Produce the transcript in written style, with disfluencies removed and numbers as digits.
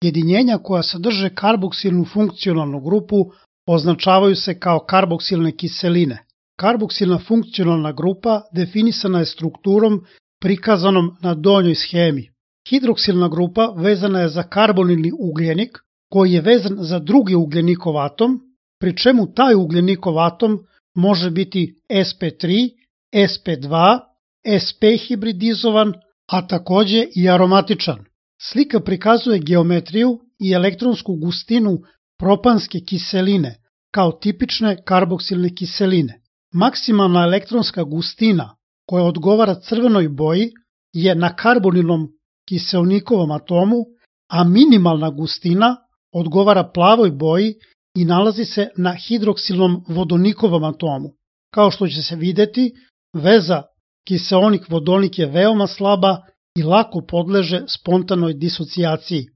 Jedinjenja koja sadrže karboksilnu funkcionalnu grupu označavaju se kao karboksilne kiseline. Karboksilna funkcionalna grupa definisana je strukturom prikazanom na donjoj schemi. Hidroksilna grupa vezana je za karbonilni ugljenik koji je vezan za drugi ugljenikov atom, pri čemu taj ugljenikov atom može biti sp3, sp2, sp hibridizovan, a takođe i aromatičan. Slika prikazuje geometriju i elektronsku gustinu propanske kiseline kao tipične karboksilne kiseline. Maksimalna elektronska gustina koja odgovara crvenoj boji je na karbonilnom kiseonikovom atomu, a minimalna gustina odgovara plavoj boji i nalazi se na hidroksilnom vodonikovom atomu. Kao što će se videti, veza kiseonik-vodonik je veoma slaba i lako podleže spontanoj disocijaciji.